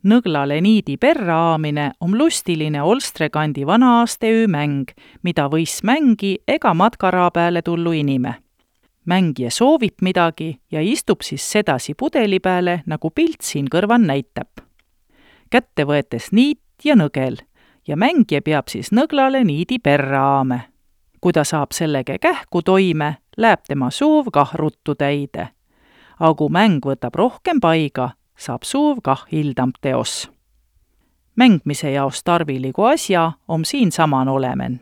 Nõglale niidi perra aamine om lustiline Olstrekandi vana-aasteöö mäng, mida võis mängi ega matkaraa peale tullu inime. Mängija soovib midagi ja istub siis sedasi pudeli peale, nagu pilt siin kõrvan näitab. Kätte võetes niit ja nõgel ja mängija peab siis nõglale niidi perra aame. Kui ta saab sellege kähku toime, läheb tema suuv kah ruttu täide. Aga kui mäng võtab rohkem paiga, saab suuv kah hildamp teos. Mängmise jaos tarviligu asja om siin saman olemen.